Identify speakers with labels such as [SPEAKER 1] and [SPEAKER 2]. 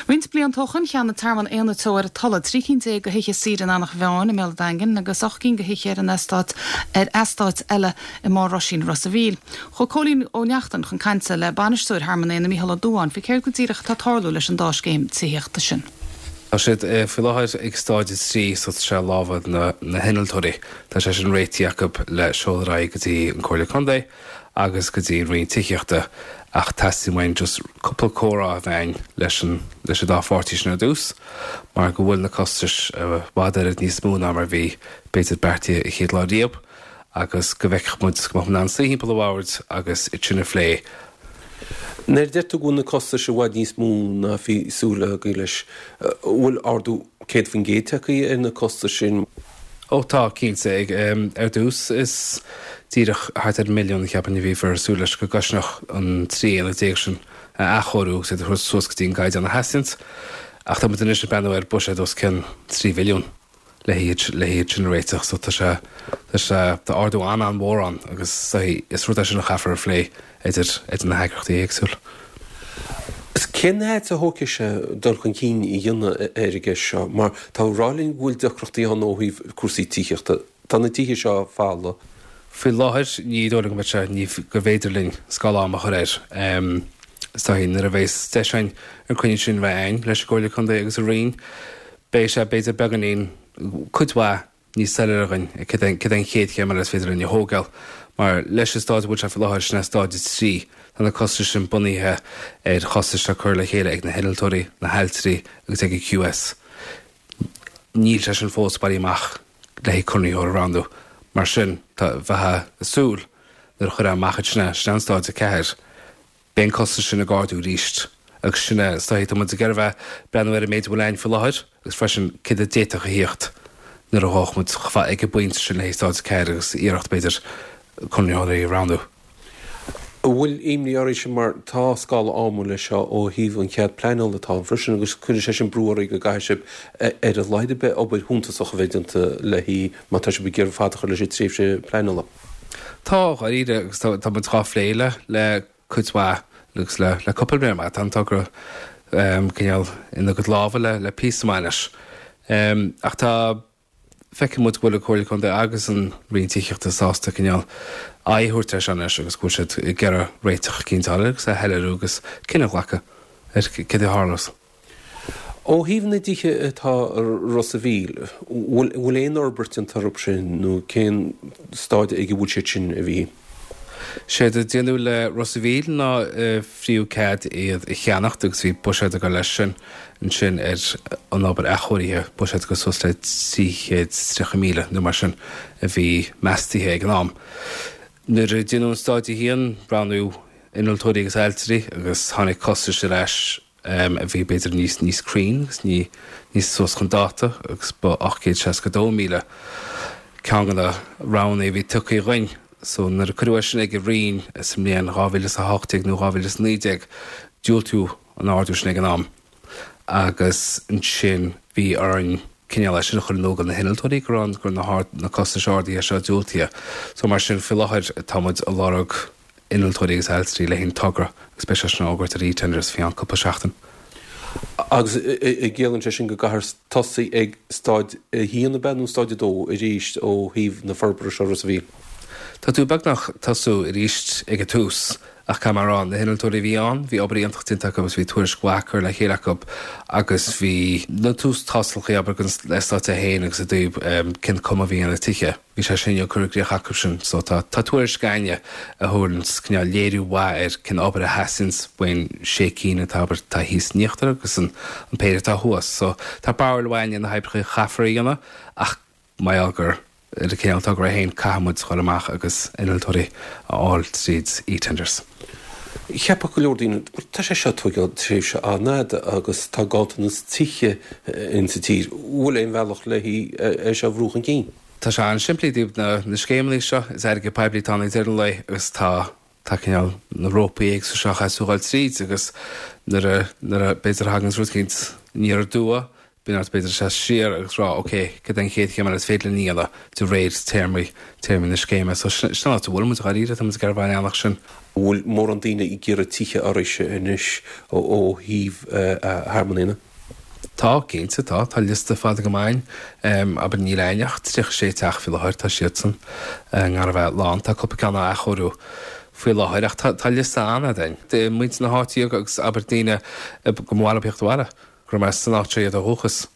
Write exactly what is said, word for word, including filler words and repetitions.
[SPEAKER 1] Roinnt blianta ó shin cheannaigh Tearmann Éanna Teo ar an Tulaigh trí cinn déag de thithe saoire in Eanach Mheáin i mBéal an Daingin agus ocht gcinn de thithe ar an eastát ar eastát eile i mBarr Roisín Ros an Mhíl. Chuaigh Cóilín Ó Neachtain chun cainte le bainisteoir Thearmann Éanna Mícheál Ó Dubháin faoi céard go díreach atá ag tarlú leis an dá scéim tithíochta sin.
[SPEAKER 2] Tá siad faoi láthair ag stáid a trí so tá sé i lámha na na hinnealtóirí. Tá sé sin réitithe acu le seoladh ar aghaidh go dtí an Comhairle Contae agus go dtí an Roinn Tithíochta ach teastaíonn uainn just cúpla comhrá a bheith againn leis an leis an dá pháirtí sin ar dtús mar go bhfuil na costais i bhfad oiread níos mó ná mar bhí b'fhéidir beartaithe an chéad lá riamh agus go bhfeicfeadh muid go mbeadh muid in ann suí thimpeall an bhoird agus iad sin a phlé.
[SPEAKER 3] Nuair a deir tú go bhfuil na costais i bhfad níos mó ná bhí súil agaibh leis, bhfuil ardú céad faoin gcéad tagtha ar na costais sin?
[SPEAKER 2] Ó tá cinnte ag ar dtús is díreach thart ar milliún cheapfainn a bhíothas ag súil leis go gcosnódh an trí aonad déag sin a athchóiriú agus iad a thabhairt suas go dtí an gcaighdeán a theastaíonn. Ach tá muid anois ag breathnú ar buiséad os cionn trí mhilliún le hiad le hiad sin a réiteach so tá sé tá sé tá ardú an-an-mhór ann agus is rud é sin a chaithfear a phlé idir idir na heagraíochtaí éagsúla.
[SPEAKER 3] Is cén fhad a thógfaidh sé dul chun cinn a dhéanamh ar an gceist seo, mar tá ag rá linn go bhfuil deacrachtaí ann ó thaobh cúrsaí tithíochta. Tá na tithe seo folamh.
[SPEAKER 2] Faoi láthair ní dóigh liom go mbeidh sé ní go bhféidir linn scála ama a chur air. Is dóigh nuair a bheas deis againn an cruinniú sin bheith againn leis an gComhairle Contae agus an Roinn, beidh sé b'fhéidir beagáinín cuid mhaith níos soiléire againn cad é an chéad chéim eile is féidir linn a thógáil. Mar leis an stáid a bhfuil sé faoi láthair sin é stáid a trí, tá na costais sin bunaithe ar chostais atá curtha le chéile ag na hinnealtóirí, na hailtirí agus ag an QS. Níl sé sin fós bailí amach le haghaidh conraitheoir a roghnú. Mar sin, tá bheifeá ag súil nuair a chuirfeá amach iad sin é, sin é an stáid a ceathair, beidh an costas sin ag ardú arís agus sin é, is dóigh, tá muid ag iarraidh a bheith breathnú ar an méid a bhfuil againn faoi láthair agus freisin céard a d'fhéadfadh a thíocht nuair a ghabhfadh muid chomh fada ag an bpointe sin le haghaidh stáid a ceathair agus iarracht b'fhéidir conraitheoirí a roghnú.
[SPEAKER 3] An bhfuil imní oraibhse mar tá scála ama leis seo ó thaobh an chead pleanála atá ann freisin agus cuireann sé sin brú oraibh go gcaithfidh sibh ar a laghad ar bith obair shuntasach a bheith déanta léi má tá sibh ag iarraidh fad a chur leis an tréimhse pleanála.
[SPEAKER 2] Tá, dháiríre, agus tá muid dhá phlé le le cuid mhaith agus le le cúpla bliain amach. Tá an togra cineál ina gcuid lámha le le píosa maith anois. Ach tá feiceann muid go bhfuil an Comhairle Contae agus an Roinn Tithíochta sásta cineál aghaidh a thabhairt air seo anois agus go bhfuil siad ag iarraidh réiteach eicínt a fháil agus é a shoiléiriú agus cinneadh a ghlacadh ar céard a tharlós.
[SPEAKER 3] Ó thaobh na dtithe atá i Ros a' Mhíl, bhfuil bhfuil aon fhorbairt déanta orthu sin nó cén staid ag a bhfuil siad sin a Mhíchíl?
[SPEAKER 2] Séard a déanadh le Ros a' Mhíl ná frítheadh cead iad a cheannacht agus bhí buiséad ag dul leis sin ansin ar an obair athchóirithe, buiséad go suas le trí chéad is tríocha míle nó mar sin a bhí meastaithe ag an am. Nuair a déanadh an stáid a haon, roghnaíodh innealtóirí agus ailtirí agus tháinig costais ar ais a bhí b'fhéidir níos níos cruinn agus ní níos suas chun dáta agus ba ocht gcéad seasca dó míle ceann de na roghanna a bhí tugtha dhúinn. So nuair a cuireadh é sin ag an Roinn sa mbliain dhá mhíle is a hocht déag nó dhá mhíle is a naoi déag, diúltaíodh an ardú sin ag an am agus ansin bhí orainn cineál é sin a chur in iúl do na hinnealtóirí go raibh go raibh na na costais ardaithe seo diúltaithe. So mar sin faoi láthair tá muid ag lorg innealtóirí agus ailtirí le haghaidh an togra agus beidh sé sin á fhógairt ar eTenders faoi cheann cúpla seachtain.
[SPEAKER 3] Agus an gciallaíonn sé sin go gcaithfear tosaí ag stáid a haon ab ea nó stáid a dó arís ó thaobh na forbartha seo Ros a' Mhíl?
[SPEAKER 2] Tá tú beagnach tosú arís ag an tús ach caithfidh mé a rá, na hinnealtóirí a bhí ann, bhí obair iontach déanta acu agus bhí tuairisc mhaith curtha le chéile acu agus bhí na tús tástálacha abair le stáid a haon agus i dtaobh cén cuma a bhí ar na tithe. Bhí sé sin curtha i gcrích acu sin so tá tá tuairisc againne a thabharann cineál léiriú mhaith ar cén obair a theastaíonns faoin sé cinn atá abair atá thíos in íochtar agus an an péire atá thuas. So tá barúil mhaith againne na hoibreacha a chaithfear a dhéanamh ach mar gheall gur ar an cineál togra é féin caithfidh muid dhul amach agus innealtóirí a fháil tríd eTenders.
[SPEAKER 3] Cheapfadh go leor daoine, tá sé seo ag tógáil tréimhse an-fhada agus tá ganntanas tithe in sa tír. Bhfuil aon bhealach le é seo a bhrú chun cinn?
[SPEAKER 2] Tá sé an-simplí i dtaobh na na scéimeanna seo, is airgead poiblí atá ann ag deireadh an lae agus tá tá cineál na rópaí éagsúla seo a chaithfidh tú a dhul tríd agus nuair a nuair a b'fhéidir a thagann rud eicínt aniar aduaidh Bíonn ort b'fhéidir seasamh siar agus rá ok, cad é an chéad chéim eile is féidir linn a dhéanamh de réir téarmaí, téarmaí na scéime. So sin an áit a bhfuil muid dháiríre, tá muid ag iarraidh a bheith an eallach sin.
[SPEAKER 3] An bhfuil mórán daoine ag iarraidh tithe oraibhse anois ó thaobh Thearmann Éanna?
[SPEAKER 2] Tá, cinnte, tá. Tá liosta fada go maith ann. Abair níl againn ach tríocha sé teach faoi láthair, tá siadsan i ngar a bheith lán. Tá cúpla ceann á athchóiriú faoi láthair ach tá liosta an-fhada ann. De muintir na háite agus abair daoine go mba mhaith leo theacht abhaile. Gur as an áit seo iad ó dhúchas.